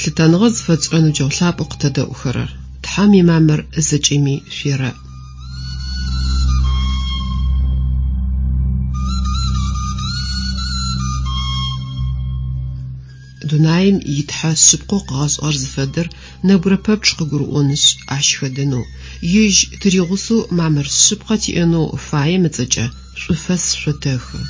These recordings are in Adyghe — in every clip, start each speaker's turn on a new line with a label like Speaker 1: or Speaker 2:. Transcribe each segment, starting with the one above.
Speaker 1: Лъытэныгъэ зыфэтшӏырэ ныбджэгъу лъапӏэу къытэдэӏухэрэр! Тхьэм имамыр зэкӏэми шъуерэӏ. Дунаим и Тхьэ шъыпкъэу къыгъэшӏыгъэр зыфэдэр нэбгырэ пэпчъ къыгурыӏонышъ, ащ хэдэнэу, Ежь тыригъусэу мамыр шъыпкъэ тиӏэнэу фаем ыцӏэкӏэ шӏуфэс шъотэхы.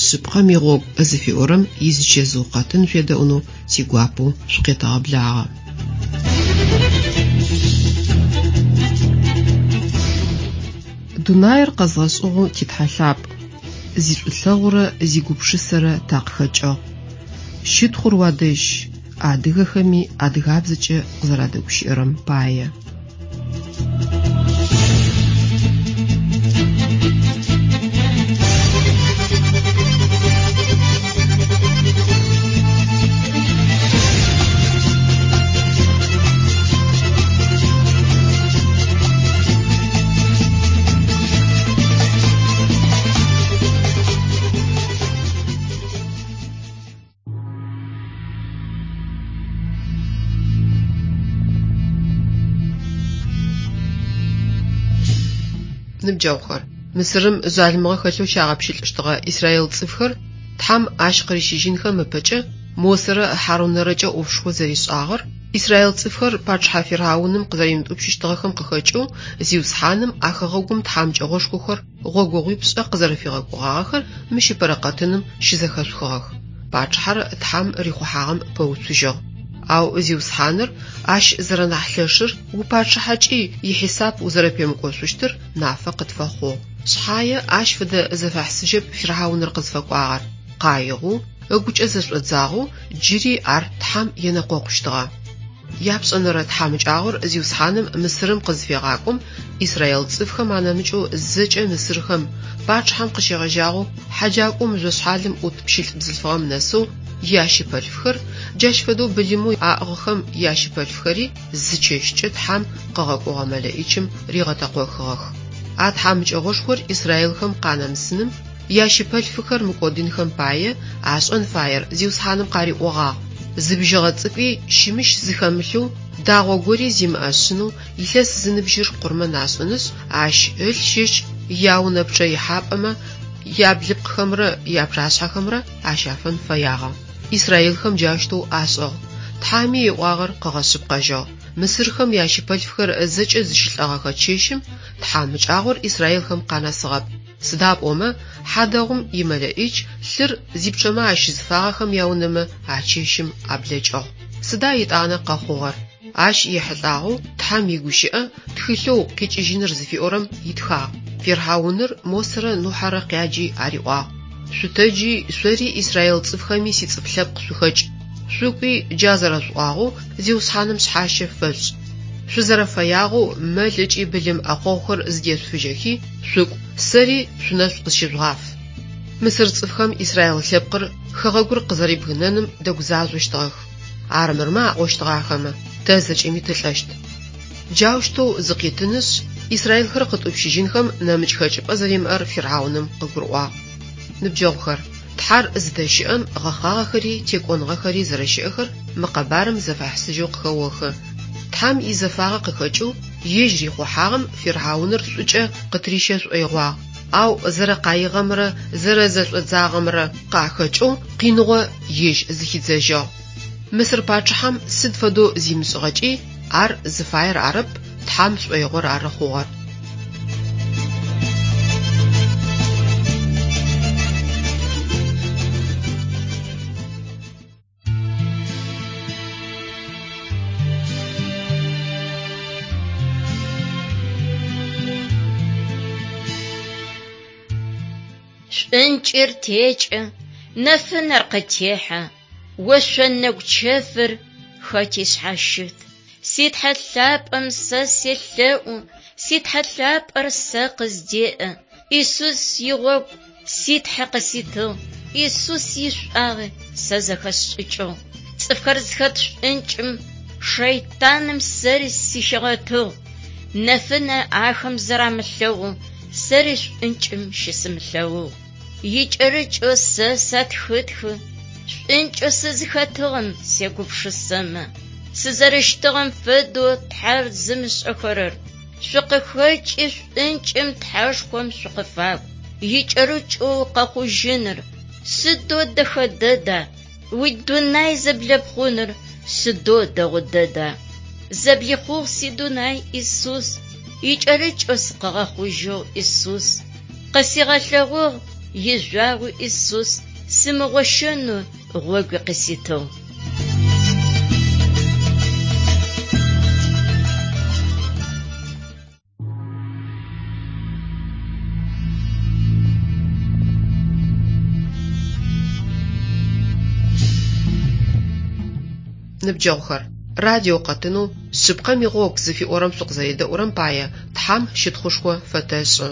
Speaker 1: Шъыпкъэм игъогу зыфиӏорэм изычэзыу къэтын шъуедэӏунэу тигуапэу шъукъетэгъэблагъэ. Дунаир къэзгъэшӏыгъэу ти Тхьэ лъапӏ, зишӏулъэгъурэ зигупшысэрэ такъыхэкӏыгъ. Щытхъур уадэжь, адыгэхэми адыгабзэкӏэ къызэрадэгущыӏэрэм пае. Ныбджэгъухэр, Мысырым жъалымыгъэ хэлъэу щагъэпщылӏыщтыгъэ израил цӏыфхэр Тхьэм ащ къырищыжьынхэм ыпэкӏэ Мосэрэ Хьарунэрэкӏэ ӏофшхо зэришӏагъэр, израил цӏыфхэр пачъыхьэ фирхьауным къызэримытӏупщыщтыгъэхэм къыхэкӏэу Зиусхьаным а хэгъэгум тхьамыкӏэгъошхохэр гъогогъуипшӏэ къызэрэфигъэкӏогъагъэхэр мыщ ыпэрэ къэтыным щызэхэшъухыгъэх. Пачъыхьэр Тхьэм рихъухьагъэм пэуцужьыгъ. Ау Зиусхьаныр ащ зэрэнахь лъэшыр, упачъыхьэкӏи ихьисап узэрэпемыкӏошъущтыр нафэ къытфэхъугъ. Шъхьае ащ фэдэ зэфэхьысыжьэп фирхьауныр къызфэкӏуагъэр. Къаигъэу, ыгукӏэ зэшӏодзагъэу джыри ар Тхьэм енэкъокъущтыгъэ. Япшӏэнэрэ тхьамыкӏагъор Зиусхьаным Мысырым къызфегъакӏом, израил цӏыфхэм анэмыкӏэу зэкӏэ мысырхэм, пачъыхьэм къыщегъэжьагъэу хьэджакӏоу мыжъошъхьалым ӏут пщылӏ бзылъфыгъэм нэсэу ящыпэлъфхэр, джащ фэдэу былымэу аӏыгъхэм ящыпэлъфхэри зы чэщкӏэ Тхьэм къыгъэкӏогъэ мэлэӏичым ригъэтэкъохыгъэх. А тхьамыкӏэгъошхор израилхэм къанэмысыным, ящыпэлъфыхэр мыкӏодынхэм пае ашӏэн фаер Зиусхьаным къариӏогъагъ, Зы бжьыгъэ цӏыкӏуи щымыщ зыхэмылъэу, дагъо гори зимыӏэ шъынэу илъэс зыныбжьыр къурмэн ашӏынышъ, ащ ылъ щыщ яунэ пчъэ ихьапӏэмэ яблыпкъхэмрэ япчъашъхьэхэмрэ ащафэн фэягъэ. Израилхэм джаущтэу ашӏыгъ. Тхьэми ыӏуагъэр къыгъэшъыпкъэжьыгъ. Мысырхэм ящыпэлъфхэр зэкӏэ зыщылӏэгъэхэ чэщым тхьамыкӏагъор израилхэм къанэсыгъэп. Сыда пӏомэ, хьадэгъум имэлэӏич лъыр зипчъэмэ ащызыфагъэхэм яунэмэ а чэщым аблэкӏыгъ. Сыда етӏанэ къэхъугъэр? Ащ ехьылӏагъэу Тхьэм игущыӏэ тхылъэу Къикӏыжьыныр зыфиӏорэм итхагъ. Фирхьауныр Мосэрэ Нухьэрэ къяджи ариӏуагъ, Шъутэджи, шъори израил цӏыфхэми сицӏыф лъэпкъ шъухэкӏ. Шъукӏуи, джа зэрэшъуӏуагъэу, Зиусхьаным шъхьащэ фэшъушӏ. Шъузэрэфэягъэу мэл ыкӏи былым ӏэхъогъухэр зыдешъуфыжьэхи, шъукӏу, сэри шъунэшӏу къысщыжъугъаф. Мысыр цӏыфхэм израил лъэпкъыр хэгъэгур къызэрибгынэным дэгузажъощтыгъэх. Армырмэ аӏощтыгъэ ахэмэ, тэ зэкӏэми тылӏэщт. Джаущтэу зыкъитынышъ, израилхэр къытӏупщыжьынхэм нэмыкӏ хэкӏыпӏэ зэримыӏэр фирхьауным къыгурыӏуагъ. Ныбджэгъухэр, Тхьэр зыдэщыӏэм гъэхъагъэхэри текӏоныгъэхэри зэрэщыӏэхэр мы къэбарым зэфэхьысыжьэу къыхэохы. Тхьэм изэфагъэ къыхэкӏэу ежь рихъухьагъэм фирхьауныр шӏукӏэ къытырищэ шӏоигъуагъ, ау зэрэкъаигъэмрэ зэрэзэшӏодзагъэмрэ къахэкӏэу къиныгъо ежь зыхидзэжьыгъ. Мысыр пачъыхьэм сыд фэдэу зимышӏыгъэкӏи, ар зыфаер арэп, Тхьэм шӏоигъор ары хъугъэр.
Speaker 2: Шӏункӏыр текӏы, нэфынэр къытехьэ, Ошъо нэгу чэфыр хэти шъхьащыт. Си Тхьэ лъапӏэм сэ селъэӏу, Си Тхьэ лъапӏэр сэ къыздеӏэ. Исус игъогу си Тхьэ къыситыгъ, Исус ишӏуагъи сэ зэхэсшӏыкӏыгъ. Цӏыфхэр зыхэт шӏункӏым шэйтаным сэри сыхигъэтыгъ. Нэфынэ ахэм зэрамылъэгъу. сэри шӏункӏым щысымылъэгъугъ. Икӏэрыкӏэу сэ сэтхытхы, шӏункӏэу сызыхэтыгъэм сегупшысэмэ, сызэрэщытыгъэм фэдэу Тхьэр зымышӏэхэрэр, шъукъыхэкӏи шӏункӏым Тхьэшхом шъукъыфакӏу. Икӏэрыкӏэу къэхъужьыныр сыдэу дэхэ дэда, уидунай зэблэпхъуныр сыдэу дэгъу дэда. Зэблихъугъ сидунай Исус, икӏэрыкӏэу сыкъыгъэхъужьыгъ Исус. Къысигъэлъэгъугъ ижъуагъуи Исус, сымыгъощэнэу гъогуи къыситыгъ.
Speaker 1: Ныбджэгъухэр, радио къэтынэу «Шъыпкъэм игъогу» зыфиӏорэм шъукъызэредэӏурэм пае Тхьам щытхъушхо фэтэшӏы.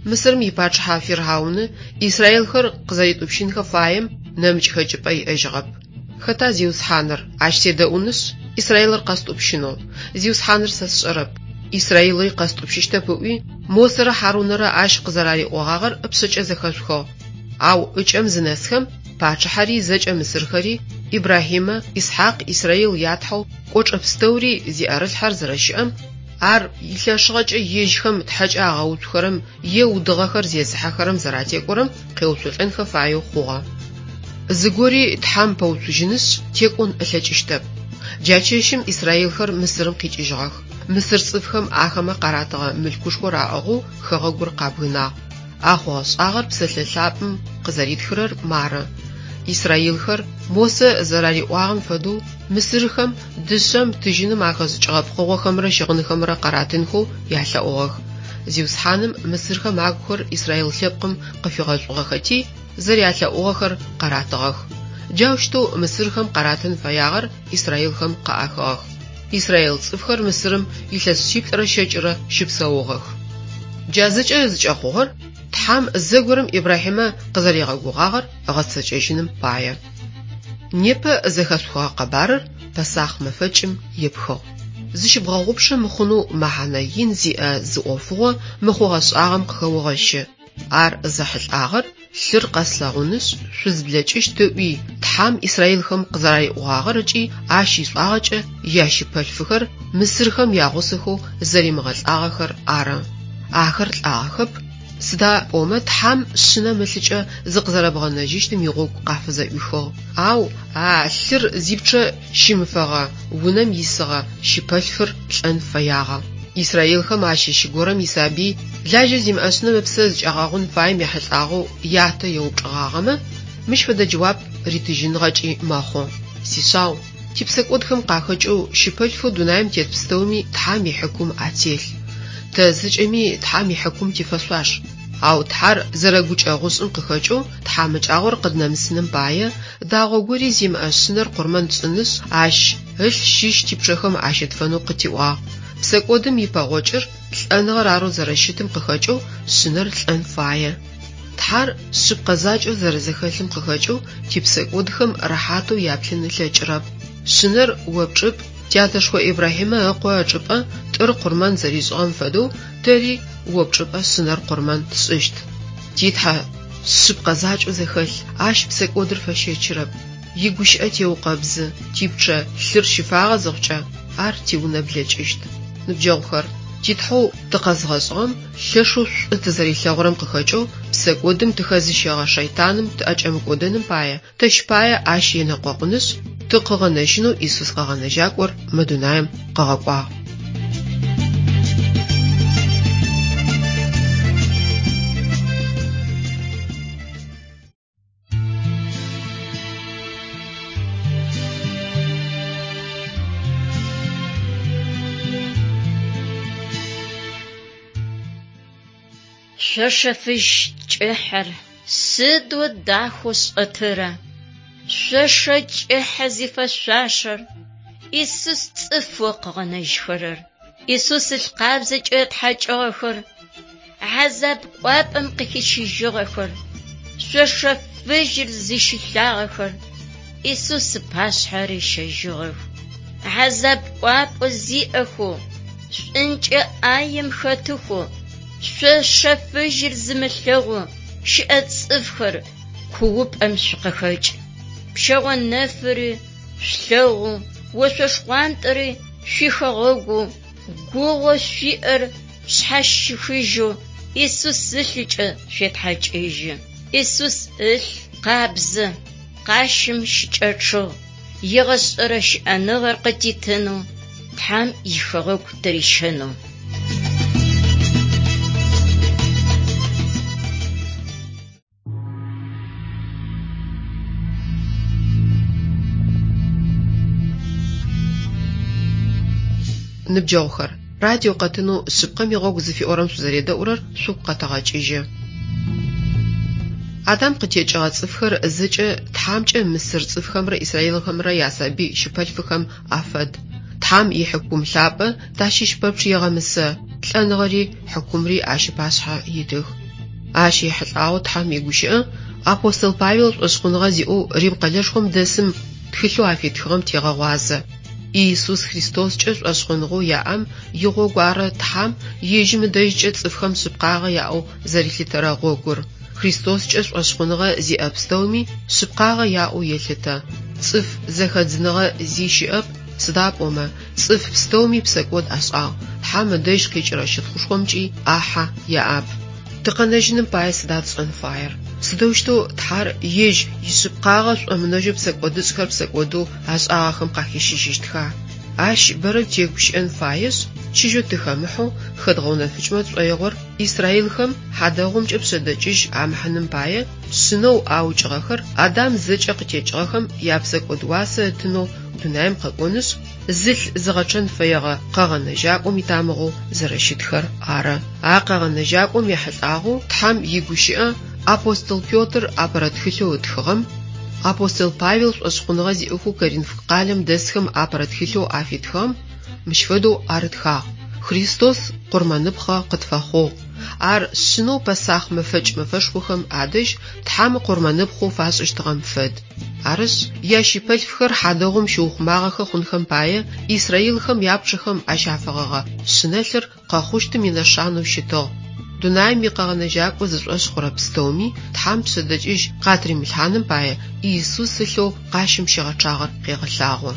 Speaker 1: Мысырым ипачъыхьэ Фирхьауны израилхэр къызэритӏупщынхэ фаем нэмыкӏ хэкӏыпӏэ иӏэжьыгъэп. Хэта Зиусхьаныр? Ащ седэӏунышъ, Израилыр къэстӏупщынэу. Зиусхьаныр сэ сшӏэрэп. Израилыри къэстӏупщыщтэп ыӏуи, Мосэрэ Хьарунэрэ ащ къызэрариӏогъагъэр ыпшъэкӏэ зэхэшъухыгъ. Ау ыкӏэм зынэсхэм, пачъыхьэри зэкӏэ мысырхэри, Ибрахьимэ, Исхьакъ, Израил ятхьэу кӏочӏэ пстэури зиӏэрылъхьэр зэрэщыӏэм, ар илъэшыгъэкӏэ ежьхэм тхьэкӏэ агъэуцухэрэм е удыгъэхэр зезыхьэхэрэм зэратекӏорэм къеуцолӏэнхэ фаеу хъугъэ. Зыгори Тхьэм пэуцужьынышъ, текӏон ылъэкӏыщтэп. Джа чэщым израилхэр Мысырым къикӏыжьыгъэх. Мысыр цӏыфхэм ахэмэ къаратыгъэ мылъкушхор аӏыгъэу хэгъэгур къабгынагъ. А хъугъэ-шӏагъэр псэлъэ лъапӏэм къызэритхырэр мары: Израилхэр Мосэ зэрариӏуагъэм фэдэу мысырхэм дышъэм, тыжьыным ахэшӏыкӏыгъэ пкъыгъохэмрэ щыгъынхэмрэ къаратынхэу ялъэӏугъэх. Зиусхьаным мысырхэм агухэр израил лъэпкъым къыфигъэшӏугъэхэти, зэрялъэӏугъэхэр къаратыгъэх. Джаущтэу мысырхэм къаратын фэягъэр израилхэм къаӏахыгъэх. Израил цӏыфхэр Мысырым илъэс шъиплӏырэ щэкӏырэ щыпсэугъэх. Джа зэкӏэ зыкӏэхъугъэр Тхьэм зэгорэм Ибрахьимэ къызэригъэгугъагъэр ыгъэцэкӏэжьыным пае. Непэ зэхэшъухыгъэ къэбарыр Пэсахъ мэфэкӏым епхыгъ. Зыщыбгъэгъупшэ мыхъунэу мэхьанэ ин зиӏэ зы ӏофыгъо мы хъугъэ-шӏагъэм къыхэогъэщы. Ар зэхьылӏагъэр лъыр къэслъэгъунышъ, шъузблэкӏыщт ыӏуи, Тхьэм израилхэм къызэрариӏогъагъэр ыкӏи ащ ишӏуагъэкӏэ ящыпэлъфыхэр мысырхэм ягъусэхэу зэримыгъэлӏагъэхэр ары. Ахэр лӏагъэхэп, сыда пӏомэ Тхьэм шъынэм ылъыкӏэ зыкъызэрэбгъэнэжьыщтым игъогу къафызэӏуихыгъ. Ау а лъыр зипчъэ щимыфэгъэ унэм исыгъэ щыпэлъфыр лӏэн фэягъэ. Израилхэм ащыщ горэм исабый лажьэ зимыӏэ шъынэм ыпсэ зыкӏагъэгъун фаем ехьылӏагъэу ятэ еупчӏыгъагъэмэ, мыщ фэдэ джэуап ритыжьыныгъэкӏи мэхъу: Сишъау, типсэкӏодхэм къахэкӏэу щыпэлъфэу дунаим тет пстэуми Тхьэм ихьыкум ателъ. Тэ зэкӏэми Тхьэм ихьыкум тифэшъуаш. Ау Тхьэр зэрэгукӏэгъушӏым къыхэкӏэу тхьамыкӏагъор къыднэмысыным пае, дагъо гори зимыӏэ шъынэр къурмэн тшӏынышъ, ащ ылъ щыщ типчъэхэм ащытфэнэу къытиӏуагъ. Псэкӏодым ипэгъокӏыр лӏэныгъэр арэу зэрэщытым къыхэкӏэу шъынэр лӏэн фае. Тхьэр шъыпкъэ закӏэу зэрэзэхэлъым къыхэкӏэу типсэкӏодхэм рэхьатэу яплъын ылъэкӏырэп. Шъынэр о пчӏыпӏ, тятэшхо Ибрахьимэ ыкъо ычӏыпӏэ тӏыр къурмэн зэришӏыгъэм фэдэу тэри о пчӏыпӏэ шъынэр къурмэн тшӏыщт. Ти Тхьэ шъыпкъэ закӏэу зэхэлъ, ащ псэкӏодыр фэщэчырэп. Игущыӏэ теукъэбзы, типчъэ лъыр щыфагъэ зыхъукӏэ, ар тиунэ блэкӏыщт. Ныбджэгъухэр, ти Тхьэу тыкъэзгъэшӏыгъэм лъэшэу шӏу тызэрилъэгъурэм къыхэкӏэу псэкӏодым тыхэзыщэгъэ шэйтаным тыӏэкӏэмыкӏодэным пае, тэщ пае ащ енэкъокъунышъ, тыкъыгъэнэжьынэу Исус Къэгъэнэжьакӏор мы дунаим къыгъэкӏуагъ.
Speaker 2: Шъошэ фыжь кӏыхьэр сыдэу дахэу шӏэтыра! Шъошэ кӏыхьэ зифэшъуашэр Исус цӏыфэу къыгъэнэжьхэрэр, Исус ылъ къабзэкӏэ ытхьакӏыгъэхэр, хьазаб кӏуапӏэм къыхищыжьыгъэхэр, шъошэ фыжьыр зыщилъагъэхэр Исус ыпашъхьэ рищэжьыгъэх. Хьазаб кӏуапӏэ зиӏэхэу, шӏункӏэ ӏаем хэтыхэу. Шъошэ фыжьыр зымылъэгъу щыӏэ цӏыфхэр куупӏэм шъукъыхэкӏ. Пщэгъо нэфыри шъулъэгъу, ошъо шхъуантӏэри шъуихэгъэгу, гугъэу шъуиӏэр шъхьащихыжьэу Исус ылъыкӏэ шъуетхьакӏыжьы. Исус ылъ къабзэ, къащым щыкӏэчъыгъ, егъэшӏэрэ щыӏэныгъэр къытитынэу, Тхьэм ихэгъэгу тырищэнэу.
Speaker 1: Ныбджэгъухэр, радио къэтынэу Шъыпкъэм игъогу зыфиӏорэм шъузэредэӏурэр шъугу къэтэгъэкӏыжьы. Адам къытекӏыгъэ цӏыфхэр зэкӏэ Тхьамкӏэ мысыр цӏыфхэмрэ израилхэмрэ ясабый щыпэлъфыхэм афэд. Тхьам ихьыкум лъапӏэ тащыщ пэпчъ егъэмысэ, лӏэныгъэри хьыкумри ащ ыпашъхьэ итых. Ащ ехьылӏагъэу Тхьэм игущыӏэ апостол Павел шӏошъхъуныгъэ зиӏэу Рим къэлэшхом дэсым тхылъэу афитхыгъэм тегъэгъуазэ. Иисус Христоскӏэ шӏошъхъуныгъэу яӏэм игъогу ары Тхьэм ежьым ыдэжькӏэ цӏыфхэм шъыпкъагъэ яӏэу зэрилъытэрэ гъогур. Христоскӏэ шӏошъхъуныгъэ зиӏэ пстэуми шъыпкъагъэ яӏэу елъытэ. Цӏыф зэхэдзыныгъэ зи щыӏэп, сыда пӏомэ, цӏыф пстэуми псэкӏод ашӏагъ, Тхьэм ыдэжь къикӏырэ щытхъушхомкӏи ӏахьэ яӏэп. Тыкъэнэжьыным пае сыда тшӏэн фаер? Сыдэущтэу Тхьэр ежь ишъыпкъагъэ шӏомынэжьэу псэкӏодышӏхэр псэкӏодэу ашӏагъэхэм къахищыжьыщтха? Ащ бэрэ тегущыӏэн фаешъ, чыжьэу тыхэмыхьэу хэдгъэунэфыкӏмэ тшӏоигъор израилхэм хьадэгъумкӏэ пшъэдэкӏыжь амыхьыным пае шъынэу аукӏыгъэхэр Адам зэкӏэ къытекӏыгъэхэм япсэкӏод уасэ ытынэу дунаим къэкӏонышъ, зылъ зыгъэчъэн фэегъэ къэгъэнэжьакӏом итамыгъэу зэрэщытхэр ары. А къэгъэнэжьакӏом ехьылӏагъэу Тхьэм игущыӏэ апостол Петр апэрэ тхылъэу ытхыгъэм, апостол Павел шӏошъхъуныгъэ зиӏэхэу Коринф къалэм дэсхэм апэрэ тхылъэу афитхыгъэм мыщ фэдэу арытхагъ: Христос къурмэныпхъэ къытфэхъугъ. Ар шъынэу Пэсахъ мэфэкӏ мэфэшхохэм адэжь Тхьэм къурмэныпхъэу фашӏыщтыгъэм фэд. Арышъ, ящыпэлъфхэр хьадэгъум щыухъумагъэхэ хъунхэм пае израилхэм япчъэхэм ащафэгъэгъэ шъынэлъыр къэхъущтым инэшанэу щытыгъ. Дунаим икъэгъэнэжьакӏо зышӏошъ хъурэ пстэуми Тхьэм пшъэдэкӏыжь къатыримылъхьаным пае Иисус ылъэу къащым щигъэчъагъэр къегъэлъагъо.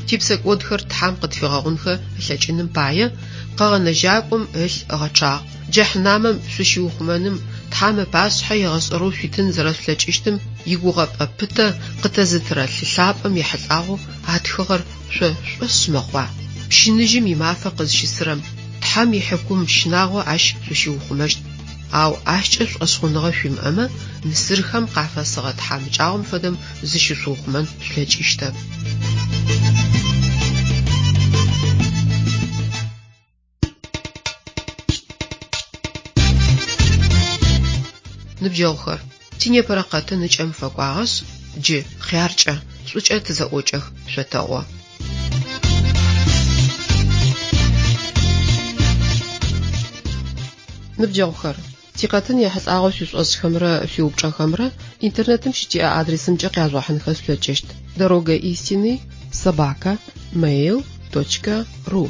Speaker 1: Типсэкӏодхэр Тхьэм къытфигъэгъунхэ ылъэкӏыным пае къэгъэнэжьакӏом ылъ ыгъэчъагъ. Джэхьнамэм шъущиухъумэным, Тхьэм ыпашъхьэ егъэшӏэрэу шъуитын зэрэшъулъэкӏыщтым игугъэпӏэ пытэ къытэзытырэ лъы лъапӏэм ехьылӏагъэу атхыгъэр шъо шъушӏошъ мэхъуа? Пщыныжьым имафэ къызщысырэм, Тхьэм ихьыкум щынагъо ащ шъущиухъумэщт. Ау ащкӏэ шӏошъхъуныгъэ шъуимыӏэмэ, мысырхэм къафэсыгъэ тхьамыкӏагъом фэдэм зыщышъуухъумэн шъулъэкӏыщтэп. Ныбджэгъухэр, тинепэрэ къэтын ыкӏэм фэкӏуагъэшъ, джы хъяркӏэ, шӏукӏэ тызэӏокӏэх шъотэӏо. Ныбджэгъухэр, тикъэтын ехьылӏагъэу шъуишӏошӏхэмрэ шъуиупчӏэхэмрэ интернетым щытиӏэ адресымкӏэ къяжъугъэхьынхэ шъулъэкӏыщт: Дорога истины собака mail.ru.